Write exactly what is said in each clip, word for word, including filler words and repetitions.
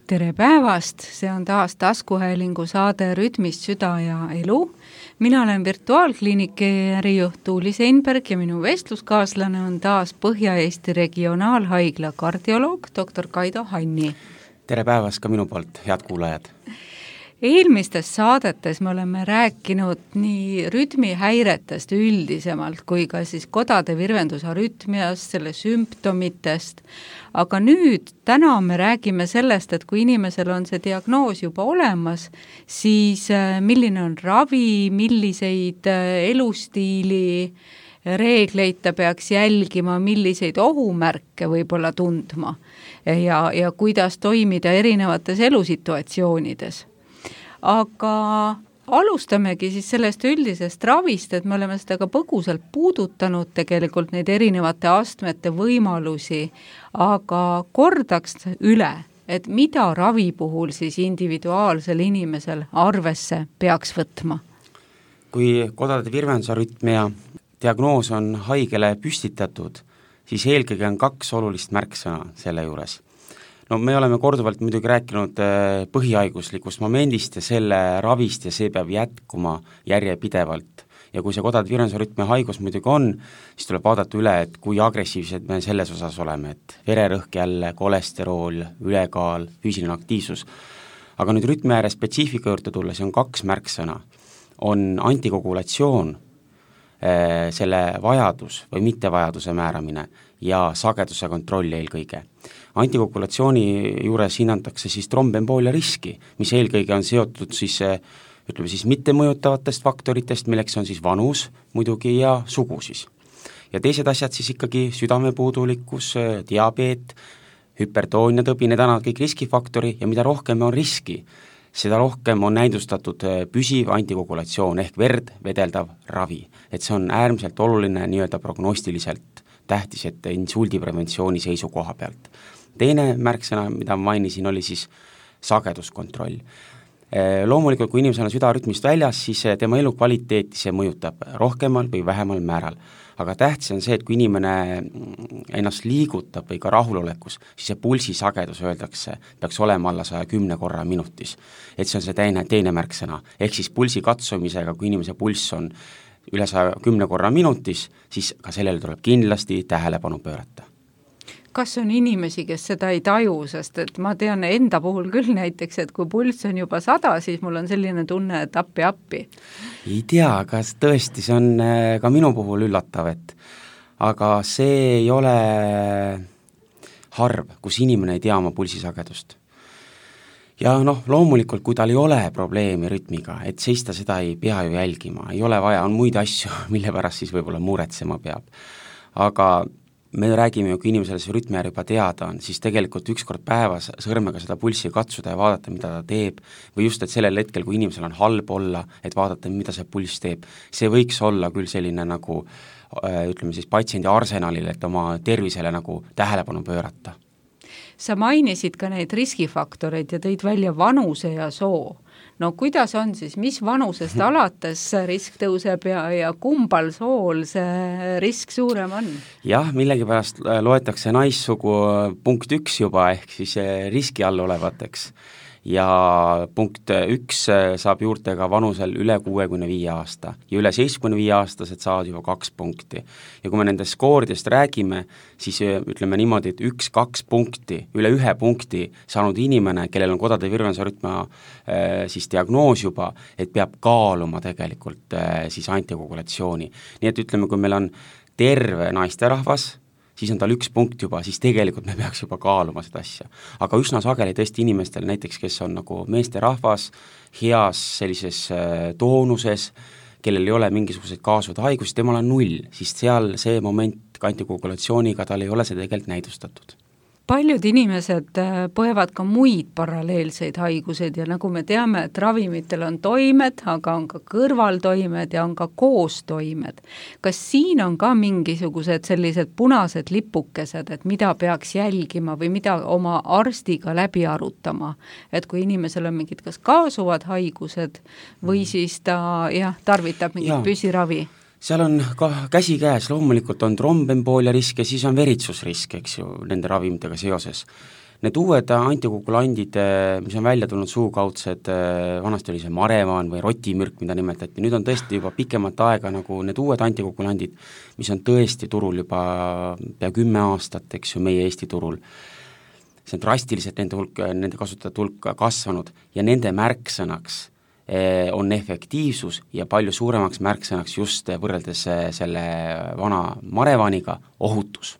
Tere päevast, see on taas taskuhäälingu saade Rütmist süda ja elu. Mina olen virtuaalkliiniki ärijuht Tuuli Seinberg ja minu vestluskaaslane on taas Põhja-Eesti regionaalhaigla kardioloog doktor Kaido Hanni. Tere päevast ka minu poolt, head kuulajad! Eelmistes saadetes me oleme rääkinud nii rütmihäiretest üldisemalt kui ka siis kodade virvendusarütmiast, selle sümptomitest, aga nüüd täna me räägime sellest, et kui inimesel on see diagnoos juba olemas, siis milline on ravi, milliseid elustiili reegleid ta peaks jälgima, milliseid ohumärke võib-olla tundma ja, ja kuidas toimida erinevates elusituatsioonides. Aga alustamegi siis sellest üldisest ravist, et me oleme seda ka põgusalt puudutanud tegelikult neid erinevate astmete võimalusi, aga kordaks üle, et mida ravi puhul siis individuaalsel inimesel arvesse peaks võtma? Kui kodade virvendusarütmia diagnoos on haigele püstitatud, siis eelkõige on kaks olulist märksõna selle juures. No me oleme korduvalt muidugi rääkinud põhihaiguslikust momendist ja selle ravist ja see peab jätkuma järjepidevalt. Ja kui see kodade virvendusarütmia haigus muidugi on, siis tuleb vaadata üle, et kui agressiivsed me selles osas oleme, et vererõhk jälle, kolesterool, ülekaal, füüsiline aktiivsus. Aga nüüd rütmiääre spetsiifika juurde tulla, see on kaks märksõna. On antikogulatsioon, selle vajadus või mittevajaduse määramine ja sageduse kontroll eelkõige. Antikogulatsiooni juures hinnatakse siis trombemboolia riski, mis eelkõige on seotud siis, ütleme siis mittemõjutavatest faktoritest, milleks on siis vanus muidugi ja sugu siis. Ja teised asjad siis ikkagi südamepuudulikkus, diabeet, hüpertoonia tõbi, need on kõik riskifaktori ja mida rohkem on riski, seda rohkem on näidustatud püsiv antikogulatsioon ehk verd vedeldav ravi. Et see on äärmiselt oluline nii-öelda prognostiliselt tähtis, et insuldipreventsiooni seisukoha pealt. Teine märksõna, mida ma mainisin, oli siis sageduskontroll. Loomulikult, kui inimesel on südarütmist väljas, siis tema elukvaliteeti see mõjutab rohkemal või vähemal määral. Aga tähtis on see, et kui inimene ennast liigutab või ka rahulolekus, siis see pulsi sagedus öeldakse, peaks olema alla saja kümne korra minutis. Et see on see teine, teine märksõna. Ehk siis pulsi katsumisega, kui inimese pulss on üle saja kümne korra minutis, siis ka sellele tuleb kindlasti tähelepanu pöörata. Kas on inimesi, kes seda ei taju, sest et ma tean enda puhul küll näiteks, et kui pulss on juba sada, siis mul on selline tunne, et appi appi. Ei tea, kas tõesti, see on ka minu puhul üllatav, et aga see ei ole harv, kus inimene ei tea oma pulsisagedust. Ja noh, loomulikult, kui tal ei ole probleemi rütmiga, et seista seda ei pea ju jälgima, ei ole vaja, on muid asju, mille pärast siis võib-olla muretsema peab. Aga me räägime ju, kui inimesele see rütmiäär juba teada on, siis tegelikult ükskord päevas sõrmega seda pulssi katsuda ja vaadata, mida ta teeb, või just, et sellel hetkel, kui inimesel on halb olla, et vaadata, mida see pulss teeb, see võiks olla küll selline nagu, ütleme siis patsiendi arsenalil, et oma tervisele nagu tähelepanu pöörata. Sa mainisid ka neid riskifaktoreid ja tõid välja vanuse ja soo. No kuidas on siis, mis vanusest alates risk tõuseb ja, ja kumbal sool see risk suurem on? Jah, millegipärast loetakse naissugu punkt üks juba ehk siis riski all olevateks ja punkt üks saab juurde ka vanusel üle kuuekümne viie aasta ja üle seitsmekümne viie aastased saavad juba kaks punkti. Ja kui me nendest skooridest räägime, siis ütleme niimoodi, et üks, kaks punkti, üle ühe punkti saanud inimene, kellel on kodade virvendusarütmia siis diagnoos juba, et peab kaaluma tegelikult siis antikogulatsiooni. Nii et ütleme, kui meil on terve naisterahvas, siis on tal üks punkt juba, siis tegelikult me peaks juba kaaluma seda asja. Aga üsna sageli tõesti inimestel näiteks, kes on nagu meesterahvas, heas sellises toonuses, kellel ei ole mingisuguseid kaasuvad haigusi, temal on null, siis seal see moment antikogulatsiooniga tal ei ole see tegelikult näidustatud. Paljud inimesed põevad ka muid paralleelseid haiguseid ja nagu me teame, et ravimitel on toimed, aga on ka kõrvaltoimed ja on ka koostoimed. Kas siin on ka mingisugused sellised punased lipukesed, et mida peaks jälgima või mida oma arstiga läbi arutama? Et kui inimesel on mingid kas kaasuvad haigused või siis ta jah, tarvitab mingit püsiravi? Seal on ka käsi käes, loomulikult on trombemboolia risk ja siis on veritsusrisk, eks ju, nende ravimitega seoses. Need uued antikoagulandid, mis on välja tulnud suukaudsed, vanasti oli see marevan või rotimürk, mida nimetati, nüüd on tõesti juba pikemat aega nagu need uued antikoagulandid, mis on tõesti turul juba pea kümme aastat, eks ju, meie Eesti turul. See on drastiliselt nende hulk, nende kasutajate hulk kasvanud ja nende märksõnaks on efektiivsus ja palju suuremaks märksõnaks just võrreldes selle vana marevaniga ohutus.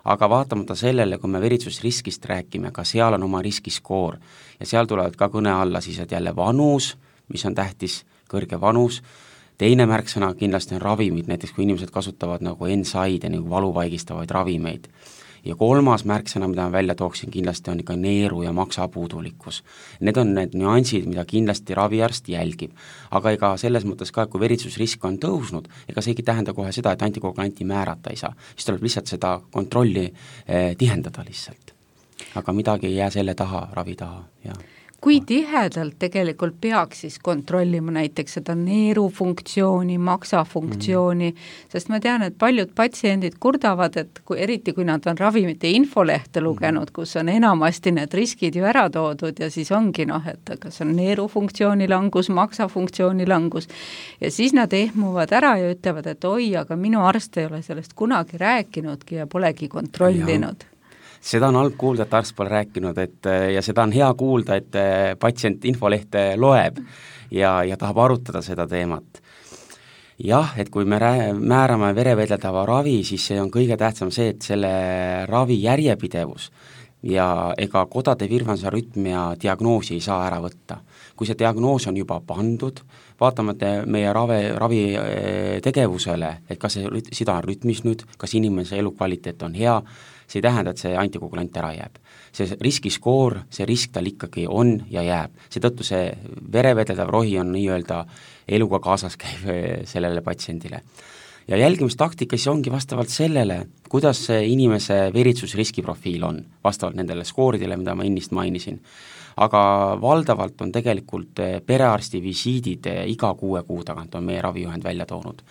Aga vaatamata sellele, kui me veritsusriskist räägime, ka seal on oma riskiskoor ja seal tulevad ka kõne alla siis, et jälle vanus, mis on tähtis, kõrge vanus, teine märksõna kindlasti on ravimid, näiteks kui inimesed kasutavad nagu N SAID-e nagu valuvaigistavaid ravimeid. Ja kolmas märksõna, mida ma välja tooksin, kindlasti on ikka neeru ja maksapuudulikkus. Need on need nüansid, mida kindlasti raviarst jälgib. Aga ega selles mõttes ka, kui veritsusrisk on tõusnud, ega seegi tähenda kohe seda, et antikoagulanti määrata ei saa. Siis tuleb lihtsalt seda kontrolli eh, tihendada lihtsalt. Aga midagi ei jää selle taha, ravi taha, jah. Kui tihedalt tegelikult peaks siis kontrollima näiteks seda neerufunktsiooni, maksafunktsiooni, mm-hmm. sest ma tean, et paljud patsiendid kurdavad, et kui, eriti kui nad on ravimite infolehte lugenud, kus on enamasti need riskid ju ära toodud ja siis ongi noh, et kas on neerufunktsiooni langus, maksafunktsiooni langus ja siis nad ehmuvad ära ja ütlevad, et oi, aga minu arst ei ole sellest kunagi rääkinudki ja polegi kontrollinud. Ja. Seda on halb kuulda, et arst pole rääkinud, et ja seda on hea kuulda, et patsient infolehte loeb ja, ja tahab arutada seda teemat. Jah, et kui me rää, määrame verevedeldava ravi, siis see on kõige tähtsam see, et selle ravi järjepidevus ja ega kodade virvendusarütmia diagnoosi ei saa ära võtta. Kui see diagnoos on juba pandud, vaatamata meie ravi, ravi tegevusele, et kas see sida on rütmis nüüd, kas inimese elukvaliteet on hea, see ei tähenda, et see antikoagulant ära jääb. See riskiskoor, see risk tal ikkagi on ja jääb. Seetõttu see verevedeldav rohi on nii-öelda eluga kaasas käiv sellele patsiendile. Ja jälgimistaktika siis ongi vastavalt sellele, kuidas see inimese veritsusriskiprofiil on, vastavalt nendele skooridele, mida ma ennist mainisin. Aga valdavalt on tegelikult perearsti visiidid iga kuue kuu tagant on meie ravijuhend välja toonud.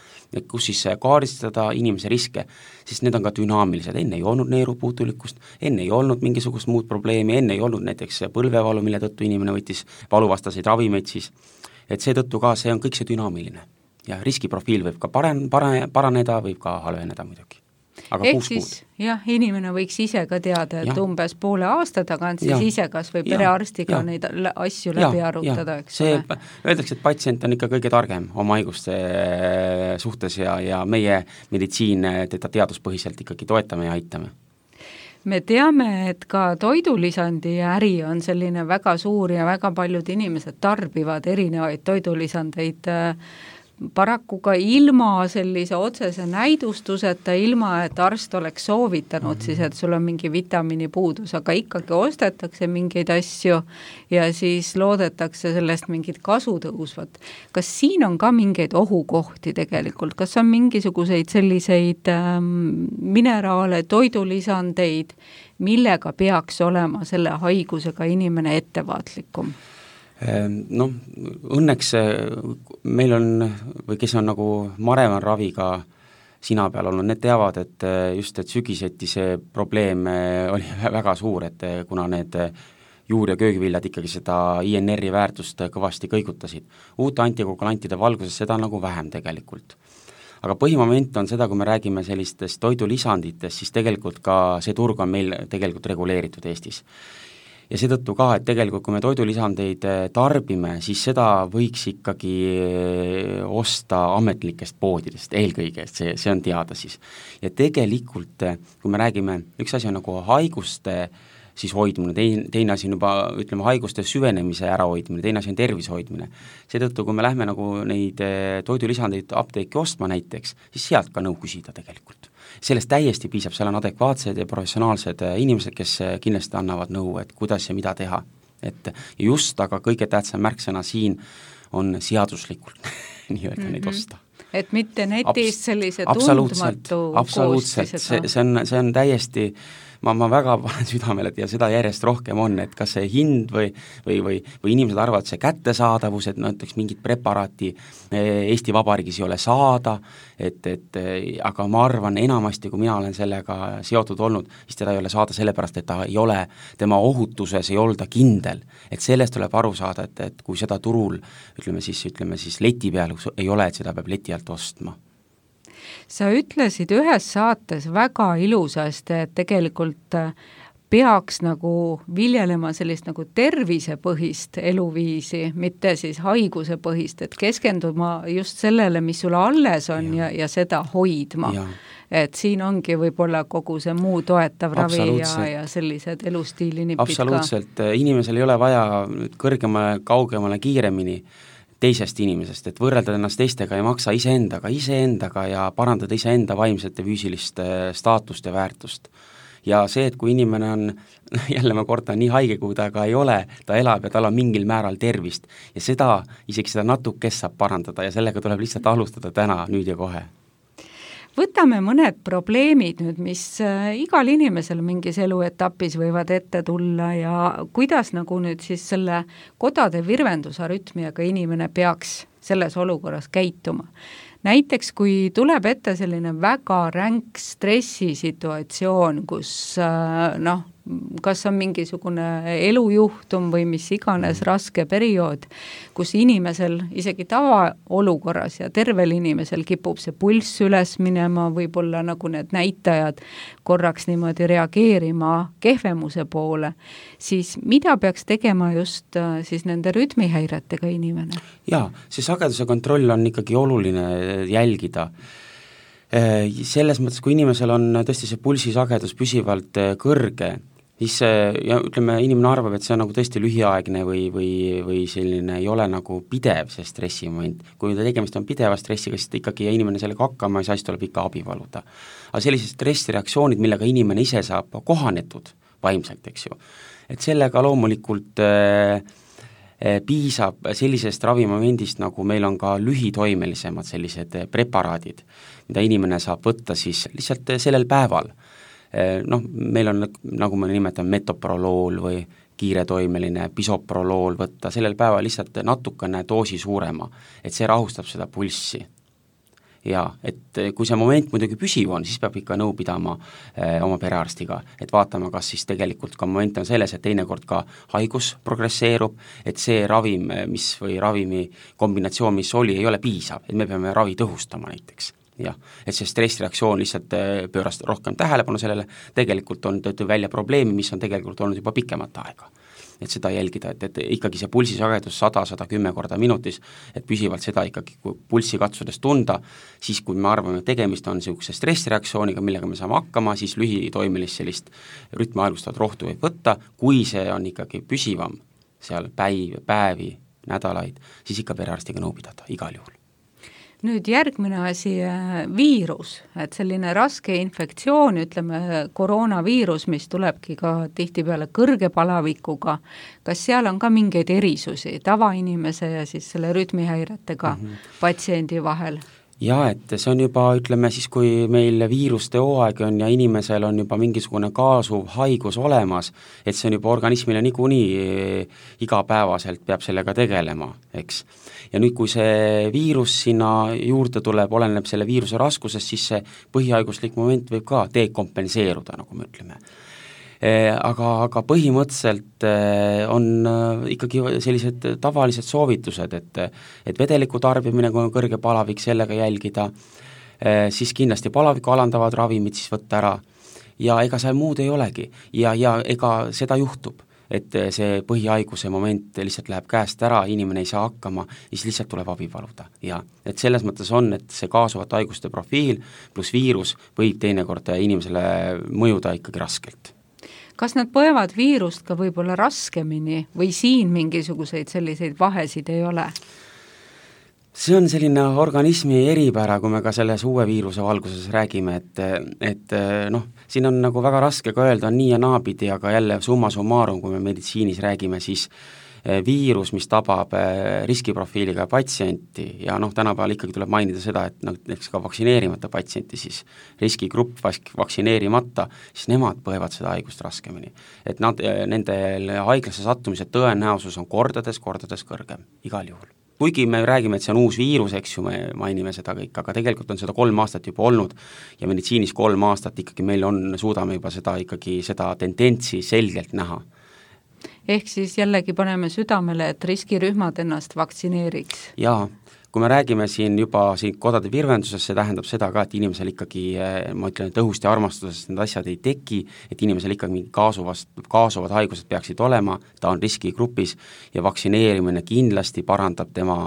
Kus siis kaardistada inimese riske, siis need on ka dünaamilised, enne ei olnud neerupuutulikkust, enne ei olnud mingisugust muud probleemi, enne ei olnud näiteks põlvevalu, mille tõttu inimene võttis valuvastaseid ravimeid siis, et seetõttu ka see on kõik see dünaamiline. Ja riskiprofiil võib ka paren, paren, paraneda, võib ka halveneda muidugi. Aga ehk siis jah, inimene võiks ise ka teada, et ja. umbes poole aasta tagant siis ja. ise kas või perearstiga ja. neid asju ja. läbi arutada, eks see, ole. Öeldakse, et patsient on ikka kõige targem oma haiguste suhtes ja, ja meie meditsiin teda teaduspõhiselt ikkagi toetame ja aitame. Me teame, et ka toidulisandi äri on selline väga suur ja väga paljud inimesed tarbivad erinevaid toidulisandeid paraku ka ilma sellise otsese näidustuseta, ilma et arst oleks soovitanud mm-hmm. siis, et sul on mingi vitamiini puudus, aga ikkagi ostetakse mingeid asju ja siis loodetakse sellest mingit kasu tõusvat. Kas siin on ka mingeid ohukohti tegelikult? Kas on mingisuguseid selliseid ähm, mineraale, toidulisandeid, millega peaks olema selle haigusega inimene ettevaatlikum? Noh, õnneks meil on, või kes on nagu marevan raviga sina peal olnud, need teavad, et just, et sügiseti see probleem oli väga suur, et kuna need juur- ja köögiviljad ikkagi seda I N R-i väärtust kõvasti kõigutasid. Uute antikoagulantide valguses seda nagu vähem tegelikult. Aga põhimoment on seda, kui me räägime sellistest toidulisanditest, siis tegelikult ka see turg on meil tegelikult reguleeritud Eestis. Ja seetõttu ka, et tegelikult kui me toidulisandeid tarbime, siis seda võiks ikkagi osta ametlikest poodidest eelkõige, see, see on teada siis. Ja tegelikult, kui me räägime, üks asi on nagu haiguste siis hoidmine, teine, teine asi on juba, ütleme, haiguste süvenemise ärahoidmine, teine asi on tervise hoidmine. Seetõttu, kui me lähme nagu neid toidulisandeid apteeki ostma näiteks, siis sealt ka nõu küsida tegelikult. Sellest täiesti piisab, seal on adekvaatsed ja professionaalsed inimesed, kes kindlasti annavad nõu, et kuidas ja mida teha. Et just, aga kõige tähtsam märksõna siin on seaduslikult nii-öelda mm-hmm. neid osta. Et mitte netis Abs- sellise tundmatu absoluutselt, absoluutselt. See, see, on, see on täiesti ma, ma väga panen südamele, et ja seda järjest rohkem on, et kas see hind või või, või, või inimesed arvavad see kättesaadavus, et näiteks mingit preparaati Eesti Vabariigis ei ole saada, et, et aga ma arvan enamasti, kui mina olen sellega seotud olnud, siis teda ei ole saada sellepärast, et ta ei ole, tema ohutuses ei olda kindel. Et sellest tuleb aru saada, et, et kui seda turul, ütleme siis, ütleme siis leti peal ei ole, et seda peab leti alt ostma. Sa ütlesid ühes saates väga ilusasti, et tegelikult peaks nagu viljelema sellist nagu tervisepõhist eluviisi, mitte siis haigusepõhist, et keskenduma just sellele, mis sulle alles on ja, ja, ja seda hoidma. Ja. Et siin ongi võib-olla kogu see muu toetav ravi ja, ja sellised elustiilinipid ka. Absoluutselt, inimesel ei ole vaja kõrgemale, kaugemale, kiiremini teisest inimesest, et võrrelda ennast teistega ei maksa iseendaga, iseendaga ja parandada iseenda vaimset ja füüsilist staatust ja väärtust. Ja see, et kui inimene on, jälle ma kordan, nii haige, kui ta ka ei ole, ta elab ja tal on mingil määral tervist ja seda, isegi seda natukest saab parandada ja sellega tuleb lihtsalt alustada täna, nüüd ja kohe. Võtame mõned probleemid nüüd, mis igal inimesel mingis eluetapis võivad ette tulla ja kuidas nagu nüüd siis selle kodade virvendusarütmiaga inimene peaks selles olukorras käituma. Näiteks, kui tuleb ette selline väga ränk stressisituatsioon, kus noh, kas on mingisugune elujuhtum või mis iganes raske periood, kus inimesel isegi tavaolukorras ja tervel inimesel kipub see pulss üles minema, võib-olla nagu need näitajad korraks niimoodi reageerima kehvemuse poole, siis mida peaks tegema just siis nende rütmihäiretega inimene? Jaa, see sageduse kontroll on ikkagi oluline jälgida. Selles mõttes, kui inimesel on tõesti see pulsisagedus püsivalt kõrge, siis ja ütleme, inimene arvab, et see on nagu tõesti lühiaegne või, või, või selline ei ole nagu pidev see stressimoment. Kui ta tegemist on pideva stressiga, siis ikkagi inimene sellega hakkama ei saa, siis tuleb ikka abi valuda. Aga sellised stressireaktsioonid, millega inimene ise saab kohanetud vaimselt, eks ju, et sellega loomulikult äh, piisab sellisest ravimomendist, nagu meil on ka lühitoimelisemad sellised preparaadid, mida inimene saab võtta siis lihtsalt sellel päeval. Noh, meil on, nagu me nimetame, metoprolool või kiiretoimeline bisoprolool võtta sellel päeval lihtsalt natukene doosi suurema, et see rahustab seda pulssi. Ja, et kui see moment muidugi püsiv on, siis peab ikka nõu pidama eh, oma perearstiga, et vaatama, kas siis tegelikult ka moment on selles, et teinekord ka haigus progresseerub, et see ravim, mis või ravimi kombinatsioon, mis oli, ei ole piisav, et me peame ravi tõhustama näiteks. Jah, et see stressireaktsioon lihtsalt pööras rohkem tähelepanu sellele, tegelikult on tõi välja probleemi, mis on tegelikult olnud juba pikemat aega. Et seda jälgida, et, et ikkagi see pulsisagedus sada kuni sada kümme korda minutis, et püsivalt seda ikkagi, kui pulssi katsudes tunda, siis kui me arvame, et tegemist on niisuguse stressireaktsiooniga, millega me saame hakkama, siis lühitoimilist sellist rütmi aegustavat rohtu võib võtta, kui see on ikkagi püsivam seal päiv, päevi, nädalaid, siis ikka perearstiga nõu pidada igal juhul. Nüüd järgmine asi, viirus, et selline raske infektsioon, ütleme koroonaviirus, mis tulebki ka tihtipeale kõrge palavikuga, kas seal on ka mingeid erisusi tavainimese ja siis selle rütmihäiretega mm-hmm. patsiendi vahel? Jaa, et see on juba, ütleme siis, kui meil viiruste hooaeg on ja inimesel on juba mingisugune kaasuv haigus olemas, et see on juba organismile niikuinii igapäevaselt peab sellega tegelema, eks. Ja nüüd, kui see viirus sinna juurde tuleb, oleneb selle viiruse raskusest, siis see põhihaiguslik moment võib ka dekompenseeruda, nagu me ütleme. Aga, aga põhimõtteliselt on ikkagi sellised tavalised soovitused, et, et vedeliku tarbimine, kui on kõrge palavik, sellega jälgida, siis kindlasti palaviku alandavad ravimid siis võtta ära ja ega see muud ei olegi ja, ja ega seda juhtub, et see põhihaiguse moment lihtsalt läheb käest ära, inimene ei saa hakkama ja siis lihtsalt tuleb abi paluda. Ja et selles mõttes on, et see kaasuvat haiguste profiil pluss viirus võib teinekord inimesele mõjuda ikkagi raskelt. Kas nad põevad viirust ka võib-olla raskemini või siin mingisuguseid selliseid vahesid ei ole? See on selline organismi eripära, kui me ka selles uue viiruse valguses räägime, et, et noh, siin on nagu väga raske ka öelda nii ja naapidi, aga jälle summa summarum, kui me meditsiinis räägime, siis viirus, mis tabab riskiprofiiliga patsienti ja noh, tänapäeval ikkagi tuleb mainida seda, et noh, näiteks ka vaktsineerimata patsienti, siis riskigrupp vaktsineerimata, siis nemad põevad seda haigust raskemini. Et nad, nendel haiglasse sattumise tõenäosus on kordades, kordades kõrgem, igal juhul. Kuigi me räägime, et see on uus viirus, eks ju, me mainime seda kõik, aga tegelikult on seda kolm aastat juba olnud ja meditsiinis kolm aastat ikkagi meil on, suudame juba seda ikkagi, seda tendentsi selgelt näha. Ehk siis jällegi paneme südamele, et riskirühmad ennast vaktsineeriks. Jaa, kui me räägime siin juba siin kodade virvenduses, see tähendab seda ka, et inimesel ikkagi, ma ütlen, et õhust ja armastusest need asjad ei teki, et inimesel ikkagi mingi kaasuvast, kaasuvad haigused peaksid olema, ta on riskigrupis ja vaktsineerimine kindlasti parandab tema,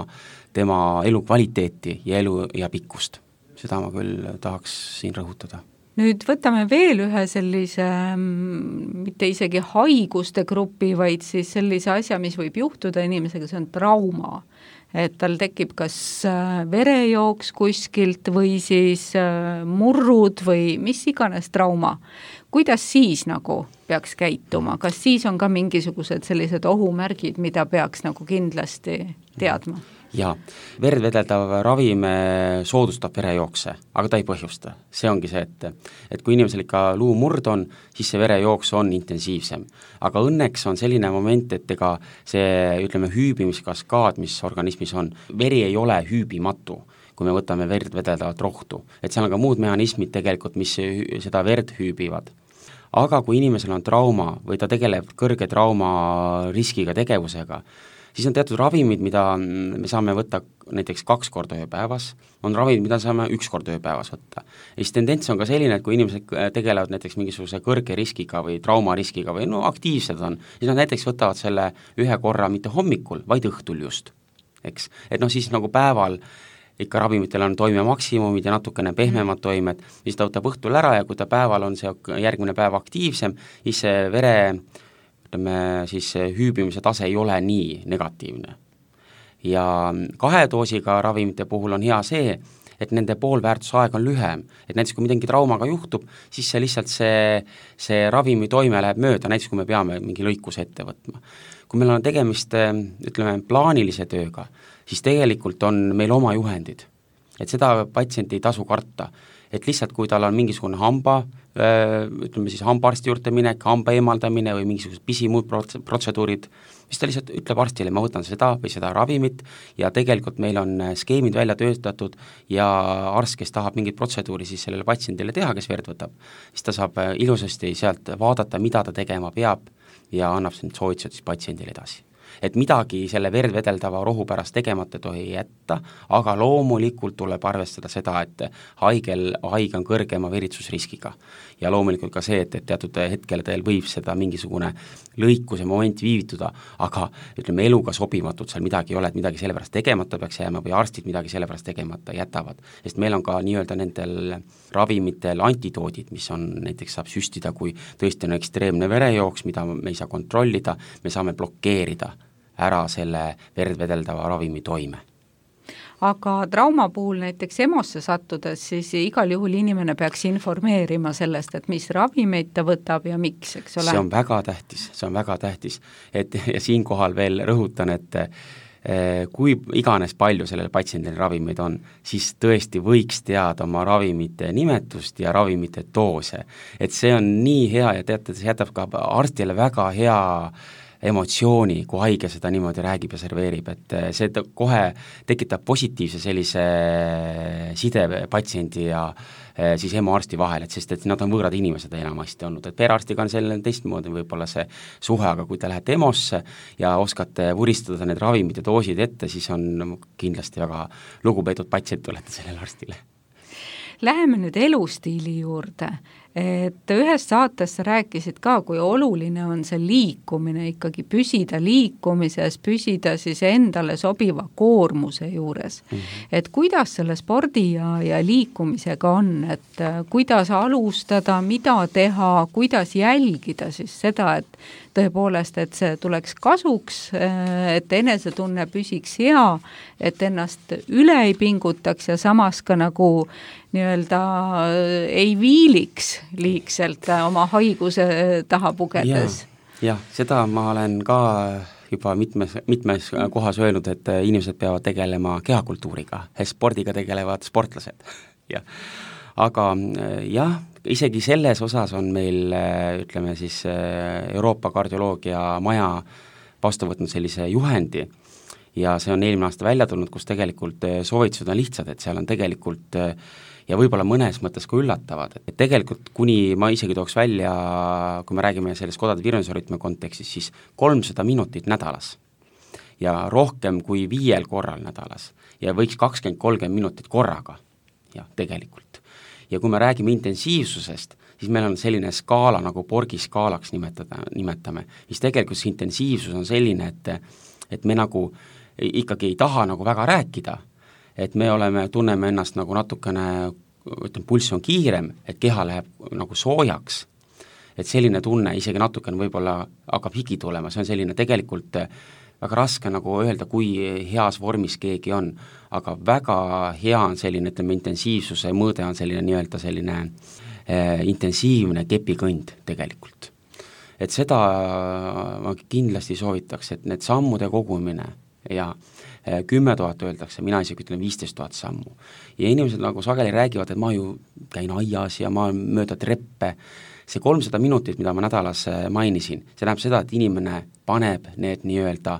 tema elukvaliteeti ja elu ja pikkust. Seda ma küll tahaks siin rõhutada. Nüüd võtame veel ühe sellise, mitte isegi haiguste grupi, vaid siis sellise asja, mis võib juhtuda inimesega, see on trauma. Et tal tekib kas verejooks kuskilt või siis murrud või mis iganes trauma. Kuidas siis nagu peaks käituma? Kas siis on ka mingisugused sellised ohumärgid, mida peaks nagu kindlasti teadma? Jaa, verd vedeldav ravim soodustab verejookse, aga ta ei põhjusta. See ongi see, et, et kui inimesel ikka luumurd on, siis see verejooks on intensiivsem. Aga õnneks on selline moment, et ega see, ütleme, hüübimiskaskaad, mis organismis on, veri ei ole hüübimatu, kui me võtame verd vedeldavat rohtu. Et seal on ka muud mehhanismid tegelikult, mis seda verd hüübivad. Aga kui inimesel on trauma või ta tegeleb kõrge trauma riskiga tegevusega, siis on teatud ravimid, mida me saame võtta näiteks kaks korda ööpäevas, on ravimid, mida saame üks kord ööpäevas võtta. Ja siis tendents on ka selline, et kui inimesed tegelevad näiteks mingisuguse kõrge riskiga või traumariskiga või no aktiivsed on, siis nad näiteks võtavad selle ühe korra mitte hommikul, vaid õhtul just. Eks? Et noh, siis nagu päeval ikka ravimitel on toime maksimumid ja natukene pehmemad toimed, siis ta võtab õhtul ära ja kui ta päeval on see järgmine päev aktiivsem, siis see vere ütleme, siis hüübimise tase ei ole nii negatiivne. Ja kahe doosiga ravimite puhul on hea see, et nende poolväärtusaeg on lühem, et näiteks kui midagi traumaga juhtub, siis see lihtsalt see, see ravimi toime läheb mööda, näiteks kui me peame mingi lõikuse ette võtma. Kui meil on tegemist, ütleme, plaanilise tööga, siis tegelikult on meil oma juhendid, et seda patsient ei tasu karta, et lihtsalt kui tal on mingisugune hamba, ütleme siis hambaarsti juurde minek, hamba eemaldamine või mingisugused pisimuud protseduurid, siis ta lihtsalt ütleb arstile, ma võtan seda või seda ravimit ja tegelikult meil on skeemid välja töötatud ja arst, kes tahab mingit protseduuri siis sellele patsiendile teha, kes verd võtab, siis ta saab ilusasti sealt vaadata, mida ta tegema peab ja annab need soovitused siis patsiendile edasi. Et midagi selle verd vedeldava rohu pärast tegemata tohi jätta, aga loomulikult tuleb arvestada seda, et haigel, haige on kõrgema veritsusriskiga. Ja loomulikult ka see, et, et teatud hetkel teil võib seda mingisugune lõikuse moment viivituda, aga ütleme, eluga sobimatult seal midagi ei ole, et midagi selle pärast tegemata peaks jääma või arstid midagi selle pärast tegemata jätavad. Sest meil on ka nii-öelda nendel ravimitel antidoodid, mis on näiteks saab süstida, kui tõesti on ekstreemne verejooks, mida me ei saa kontrollida, me saame blokeerida ära selle verd vedeldava ravimi toime. Aga trauma puhul näiteks EMO-sse sattudes, siis igal juhul inimene peaks informeerima sellest, et mis ravimeid ta võtab ja miks, eks ole? See on väga tähtis, see on väga tähtis. Et, ja siinkohal veel rõhutan, et kui iganes palju sellel patsiendil ravimeid on, siis tõesti võiks teada oma ravimite nimetust ja ravimite doose. Et see on nii hea ja teate, see jätab ka arstile väga hea emotsiooni, kui haige seda niimoodi räägib ja serveerib, et see kohe tekitab positiivse sellise side patsiendi ja siis EMO-arsti vahel, et sest et nad on võõrad inimesed enamasti olnud, et perearstiga on selline teistmoodi võib-olla see suhe, aga kui te lähete EMO-sse ja oskate vuristada need ravimid ja doosid ette, siis on kindlasti väga lugupeetud patsient olete sellele arstile. Läheme nüüd elustiili juurde, et ühes saates sa rääkisid ka, kui oluline on see liikumine, ikkagi püsida liikumises, püsida siis endale sobiva koormuse juures. Mm-hmm. Et kuidas selle spordi ja, ja liikumisega on, et kuidas alustada, mida teha, kuidas jälgida siis seda, et tõepoolest, et see tuleks kasuks, et enesetunne püsiks hea, et ennast üle ei pingutaks ja samas ka nagu nii-öelda ei viiliks liigselt oma haiguse taha pugedes. Jah, ja, seda ma olen ka juba mitmes, mitmes kohas öelnud, et inimesed peavad tegelema kehakultuuriga, spordiga tegelevad sportlased ja aga jah, isegi selles osas on meil, ütleme siis, Euroopa kardioloogia maja vastu võtnud sellise juhendi ja see on eelmine aasta välja tulnud, kus tegelikult soovitused on lihtsad, et seal on tegelikult ja võib-olla mõnes mõttes ka üllatavad, et tegelikult kuni ma isegi tooks välja, kui me räägime sellest kodade virvendusrütmi kontekstis, siis kolmsada minutit nädalas ja rohkem kui viiel korral nädalas ja võiks kakskümmend kolmkümmend minutit korraga, jah, tegelikult. Ja kui me räägime intensiivsusest, siis meil on selline skaala nagu Borgi skaalaks nimetada, nimetame, mis tegelikult see intensiivsus on selline, et, et me nagu ikkagi ei taha nagu väga rääkida, et me oleme, tunneme ennast nagu natukene, ütleme, pulss on kiirem, et keha läheb nagu soojaks, et selline tunne isegi natukene võib-olla hakkab higi tulema, see on selline tegelikult väga raske nagu öelda, kui heas vormis keegi on, aga väga hea on selline, ütleme, intensiivsuse mõõde on selline nii-öelda selline eh, intensiivne kepikõnd tegelikult. Et seda ma kindlasti soovitaks, et need sammude kogumine ja kümme tuhat öeldakse, mina isegi ütlen viisteist tuhat sammu. Ja inimesed nagu sageli räägivad, et ma ju käin aias ja ma mööda treppe. See kolmsada minutit, mida ma nädalas mainisin, see näeb seda, et inimene paneb need nii-öelda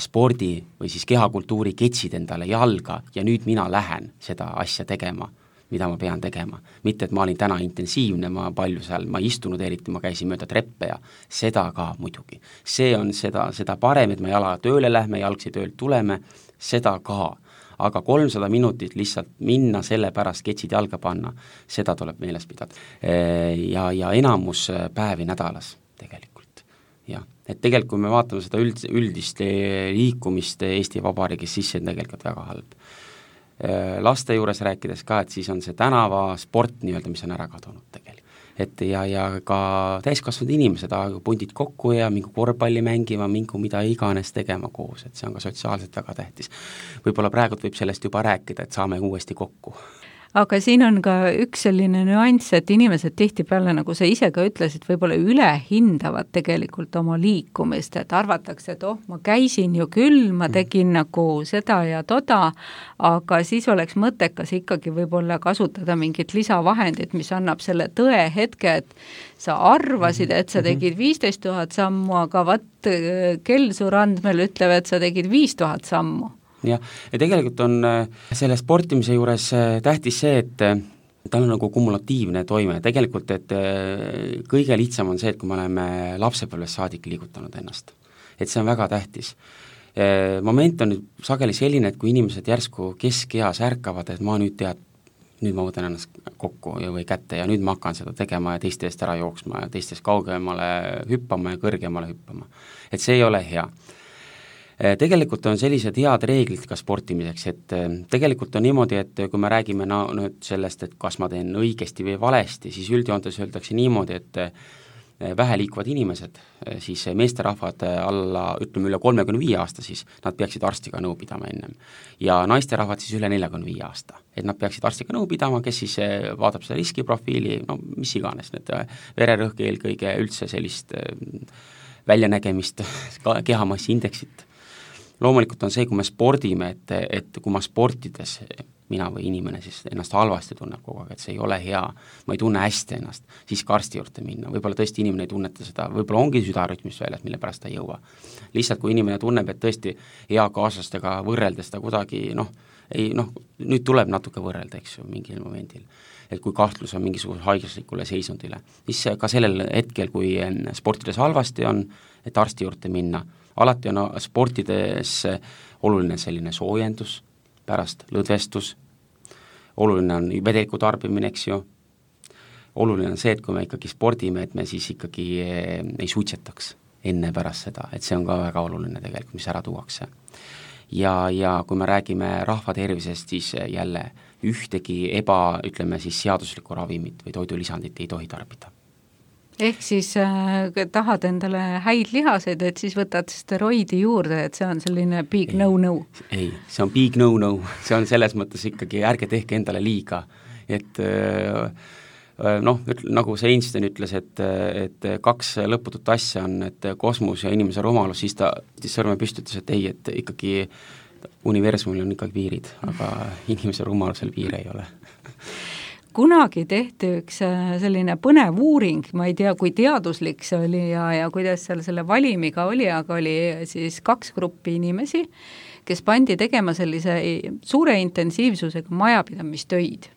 spordi või siis kehakultuuri ketsid endale jalga ja nüüd mina lähen seda asja tegema, mida ma pean tegema. Mitte, et ma olin täna intensiivne, ma palju seal, ma istunud eriti, ma käisin mööda treppe ja seda ka muidugi. See on seda, seda parem, et me jalaga tööle lähme, jalgsi töölt tuleme, seda ka. Aga kolmsada minutit lihtsalt minna selle pärast ketsid jalga panna, seda tuleb meeles pidada. Ja, ja enamus päevi nädalas tegelikult. Ja. Et tegelikult, kui me vaatame seda üld, üldist liikumist Eesti Vabariigis, siis see on tegelikult väga halb. Laste juures rääkides ka, et siis on see tänava sport nii-öelda, mis on ära kadunud tegelikult. Et ja, ja ka täiskasvanud inimesed pundid kokku ja mingi korvpalli mängima, mingi mida iganes tegema koos, et see on ka sotsiaalselt väga tähtis. Võib-olla praegult võib sellest juba rääkida, et saame uuesti kokku. Aga siin on ka üks selline nüanss, et inimesed tihtipeale, nagu sa ise ka ütlesid, võib-olla üle hindavad tegelikult oma liikumist, et arvatakse, et oh, ma käisin ju küll, ma tegin mm. nagu seda ja toda, aga siis oleks mõttekas ikkagi võib-olla kasutada mingit lisavahendit, mis annab selle tõe hetke, et sa arvasid, et sa tegid viisteist tuhat sammu, aga vaat kell su randmel ütleb, et sa tegid viis tuhat sammu. Ja, ja tegelikult on selle sportimise juures tähtis see, et tal on nagu kumulatiivne toime. Tegelikult, et kõige lihtsam on see, et kui me oleme lapsepõlvest saadik liigutanud ennast. Et see on väga tähtis. Moment on nüüd sageli selline, et kui inimesed järsku keskeas ärkavad, et ma nüüd tead, nüüd ma võtan ennast kokku või kätte ja nüüd ma hakkan seda tegema ja teiste eest ära jooksma ja teistest kaugemale hüppama ja kõrgemale hüppama. Et see ei ole hea. Tegelikult on sellised head reeglid ka sportimiseks, et tegelikult on niimoodi, et kui me räägime no, nüüd sellest, et kas ma teen õigesti või valesti, siis üldjoontes öeldakse niimoodi, et vähe liikuvad inimesed, siis meesterahvad alla, ütleme üle kolmekümne viie aasta, siis nad peaksid arstiga nõu pidama ennem. Ja naisterahvad siis üle neljakümne viie aasta, et nad peaksid arstiga nõu pidama, kes siis vaatab seda riskiprofiili, no mis iganes, need vererõhk eelkõige üldse sellist väljanägemist, kehamassi indeksit. Loomulikult on see, kui me spordime, et, et kui ma sportides, mina või inimene siis ennast halvasti tunneb kogu aeg, et see ei ole hea, ma ei tunne hästi ennast, siis ka arsti juurde minna, võib-olla tõesti inimene ei tunneta seda, võib-olla ongi südarütmist väljas, mille pärast ta ei jõua. Lihtsalt kui inimene tunneb, et tõesti hea kaaslastega võrreldes ta kuidagi, noh, ei, noh, nüüd tuleb natuke võrrelda, eks ju, mingil momendil, et kui kahtlus on mingisuguse haiguslikule seisundile, siis ka sellel hetkel, kui sportides halvasti on, et arsti juurde minna, alati on sportides oluline selline soojendus, pärast lõdvestus, oluline on vedeliku tarbimine, eks ju, oluline on see, et kui me ikkagi spordime, et me siis ikkagi ei suitsetaks enne pärast seda, et see on ka väga oluline tegelikult, mis ära tuuakse. Ja, ja kui me räägime rahva tervisest, siis jälle ühtegi eba, ütleme siis seaduslikku ravimit või toidulisandit ei tohi tarbida. Ehk siis äh, tahad endale häid lihaseid, et siis võtad steroidi juurde, et see on selline big ei, no-no. Ei, see on big no-no, see on selles mõttes ikkagi, ärge tehke endale liiga, et äh, noh, nagu see Einstein ütles, et, et kaks lõputut asja on, et kosmos ja inimese rumalus, siis ta siis sõrme püstitas, et ei, et ikkagi universumil on ikkagi piirid, aga inimese rumalusel piire ei ole. Kunagi tehti üks selline põnev uuring, ma ei tea, kui teaduslik see oli ja, ja kuidas seal selle valimiga oli, aga oli siis kaks gruppi inimesi, kes pandi tegema sellise suure intensiivsusega majapidamistöid.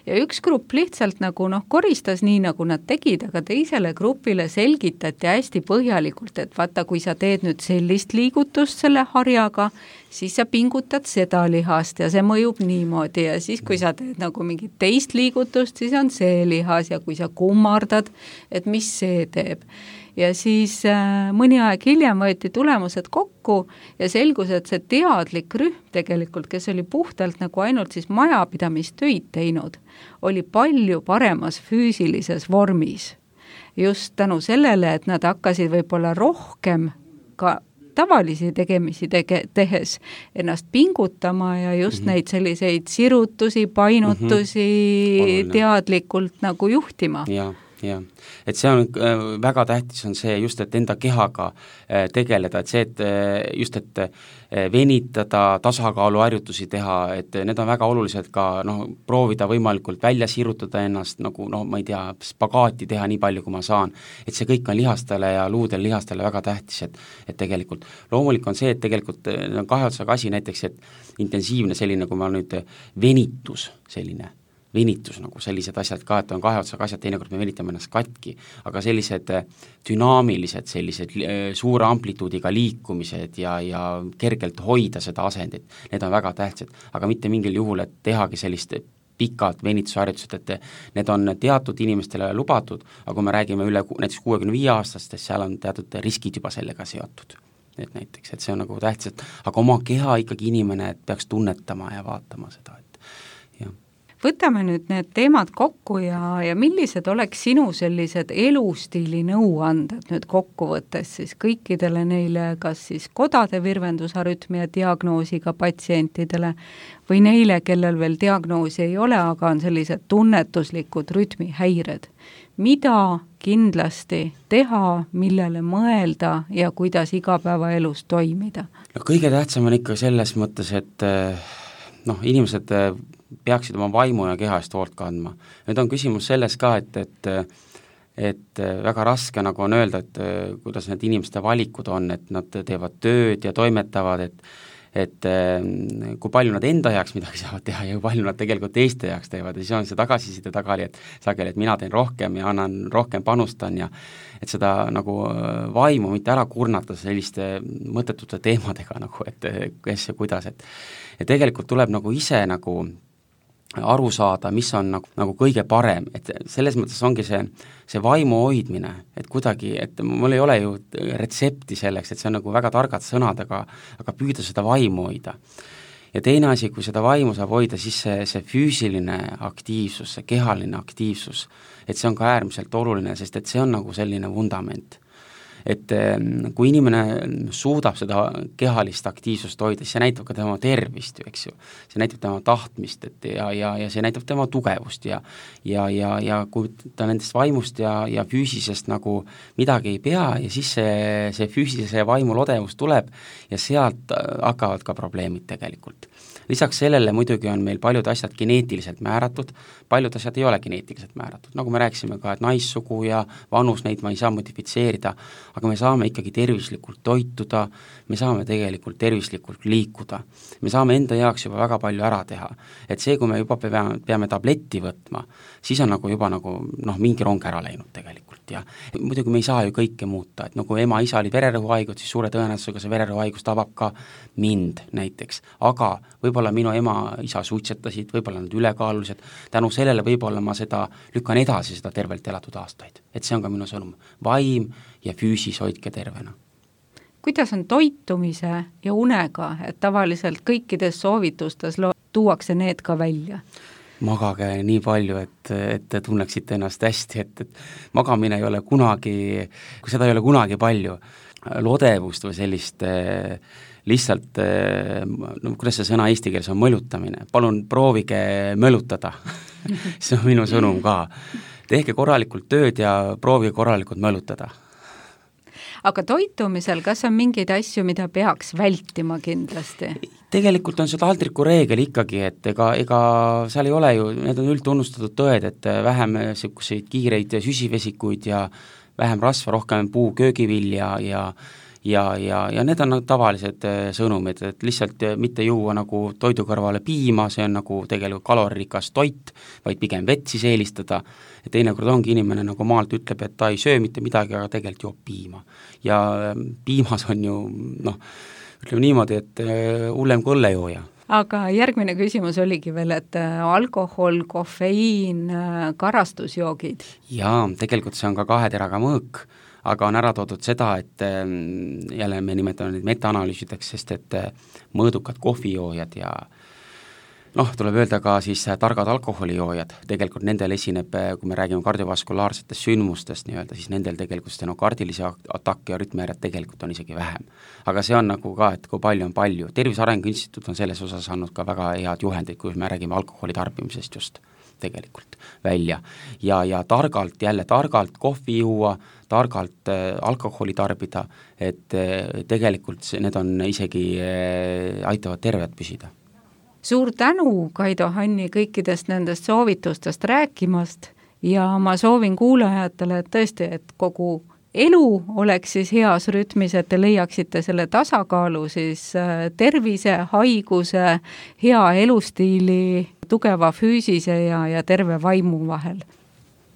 Ja üks grupp lihtsalt nagu noh, koristas nii, nagu nad tegid, aga teisele grupile selgitati hästi põhjalikult, et vaata, kui sa teed nüüd sellist liigutust selle harjaga, siis sa pingutad seda lihast ja see mõjub niimoodi ja siis, kui sa teed nagu mingit teist liigutust, siis on see lihas ja kui sa kummardad, et mis see teeb. Ja siis äh, mõni aeg hiljem võeti tulemused kokku ja selgus, et see teadlik rühm tegelikult, kes oli puhtalt nagu ainult siis majapidamistöid teinud, oli palju paremas füüsilises vormis. Just tänu sellele, et nad hakkasid võib-olla rohkem ka tavalisi tegemisi tege, tehes ennast pingutama ja just mm-hmm. neid selliseid sirutusi, painutusi mm-hmm. teadlikult nagu juhtima. Jaa. jah, et see on väga tähtis on see just, et enda kehaga tegeleda, et see, et just, et venitada, tasakaaluharjutusi teha, et need on väga olulised ka noh, proovida võimalikult välja sirutada ennast, nagu noh, ma ei tea, spagaati teha nii palju, kui ma saan, et see kõik on lihastele ja luudel lihastele väga tähtis, et, et tegelikult loomulik on see, et tegelikult on kahe otsaga asi näiteks, et intensiivne selline, kui ma nüüd venitus selline, venitus nagu sellised asjad ka, et on kahe otsaga asjad, teinekord me venitame ennast katki, aga sellised dünaamilised, sellised suure amplituudiga liikumised ja, ja kergelt hoida seda asendit, need on väga tähtsad, aga mitte mingil juhul, et tehagi sellist pikad venitusharjutused, et need on teatud inimestele lubatud, aga kui me räägime üle näiteks kuuekümne viie aastastest, seal on teatud riskid juba sellega seotud. Et näiteks, et see on nagu tähtsad, aga oma keha ikkagi inimene peaks tunnetama ja vaatama seda, et jah. Võtame nüüd need teemad kokku ja, ja millised oleks sinu sellised elustiili nõuanded nüüd kokkuvõttes siis kõikidele neile, kas siis kodade virvendusarütmia diagnoosiga patsientidele või neile, kellel veel diagnoosi ei ole, aga on sellised tunnetuslikud rütmihäired. Mida kindlasti teha, millele mõelda ja kuidas igapäevaelus toimida? No kõige tähtsam on ikka selles mõttes, et noh, inimesed peaksid oma vaimu ja keha eest hoolt kandma. Nüüd on küsimus selles ka, et, et, et väga raske nagu on öelda, et kuidas need inimeste valikud on, et nad teevad tööd ja toimetavad, et, et kui palju nad enda jaoks midagi saavad teha ja kui palju nad tegelikult teiste jaoks teevad ja siis on see tagasiside tagali, et sageli, et mina teen rohkem ja annan rohkem panustan ja et seda nagu vaimu mitte ära kurnata selliste mõttetute teemadega nagu, et kes ja kuidas, et, et tegelikult tuleb nagu ise nagu aru saada, mis on nagu, nagu kõige parem, et selles mõttes ongi see, see vaimu hoidmine, et kuidagi, et mul ei ole ju retsepti selleks, et see on nagu väga targad sõnad, aga, aga püüda seda vaimu hoida. Ja teine asi, kui seda vaimu saab hoida, siis see, see füüsiline aktiivsus, see kehaline aktiivsus, et see on ka äärmiselt oluline, sest et see on nagu selline vundament. Et kui inimene suudab seda kehalist aktiivsust hoida, siis see näitab ka tema tervist, eks ju. See näitab tema tahtmist, et ja, ja, ja see näitab tema tugevust ja, ja, ja, ja kui ta nendest vaimust ja, ja füüsisest nagu midagi ei pea ja siis see, see füüsilise vaimu lodevus tuleb ja sealt hakkavad ka probleemid tegelikult. Lisaks sellele muidugi on meil paljud asjad geneetiliselt määratud, paljud asjad ei ole geneetiliselt määratud, nagu me rääkisime ka, et naissugu ja vanus neid ma ei saa modifitseerida, aga me saame ikkagi tervislikult toituda, me saame tegelikult tervislikult liikuda, me saame enda jaoks juba väga palju ära teha, et see, kui me juba peame, peame tabletti võtma, siis on nagu juba nagu noh, mingi rong ära läinud tegelikult ja muidugi me ei saa ju kõike muuta, et nagu ema isa oli vererõhuhaigus, siis suure tõenäosusega see vererõhuhaigus tabab ka mind näiteks, aga võib-olla minu ema isa suitsetasid, võib-olla nad ülekaalulised, tänu sellele võib-olla ma seda lükkan edasi seda tervelt elatud aastaid, et see on ka minu sõnum, vaim ja füüsis hoidke tervena. Kuidas on toitumise ja unega, et tavaliselt kõikides soovitustes lo- tuuakse need ka välja? Magage nii palju, et, et te tunneksite ennast hästi, et, et magamine ei ole kunagi, kui seda ei ole kunagi palju. lodevust või sellist äh, lihtsalt, no kuidas see sõna eesti keeles on, mõlutamine, palun proovige mõlutada see on minu sõnum ka. Tehke korralikult tööd ja proovige korralikult mõlutada. Aga toitumisel, kas on mingeid asju, mida peaks vältima kindlasti? Tegelikult on see taldriku reegel ikkagi, et ega, ega seal ei ole ju, need on üldtunnustatud tõed, et vähem selliseid kiireid süsivesikuid ja vähem rasva, rohkem puu köögivilja ja ja, ja, ja need on nagu tavalised sõnumid, et lihtsalt mitte juua nagu toidu kõrvale piima, see on nagu tegelikult kaloririkas toit, vaid pigem vett siis eelistada, ja teinekord ongi inimene nagu maalt ütleb, et ta ei söö mitte midagi, aga tegelikult joob piima. Ja piimas on ju, noh, ütleme niimoodi, et hullem kui õllejooja. Aga järgmine küsimus oligi veel, et alkohol, kofeiin, karastusjoogid. Jaa, tegelikult see on ka kahe teraga mõõk, aga on ära toodud seda, et jälle me nimetame neid metaanalüüsideks, sest et mõõdukad kohvijoojad ja noh, tuleb öelda ka siis targad alkoholijoojad, tegelikult nendel esineb, kui me räägime kardiovaskulaarsetest sündmustest nii-öelda, siis nendel tegelikult stenokardilisi atakke ja rütmihäired tegelikult on isegi vähem. Aga see on nagu ka, et kui palju on palju. Tervise Arengu Instituut on selles osas andnud ka väga head juhendid, kui me räägime alkoholi tarbimisest just tegelikult välja. Ja, ja targalt, jälle targalt kohvi juua, targalt äh, alkoholi tarbida, et äh, tegelikult need on isegi äh, aitavad terved püsida. Suur tänu, Kaido Hanni, kõikidest nendest soovitustest rääkimast ja ma soovin kuulajatele, et tõesti, et kogu elu oleks siis heas rütmis, et te leiaksite selle tasakaalu siis tervise, haiguse, hea elustiili, tugeva füüsise ja, ja terve vaimu vahel.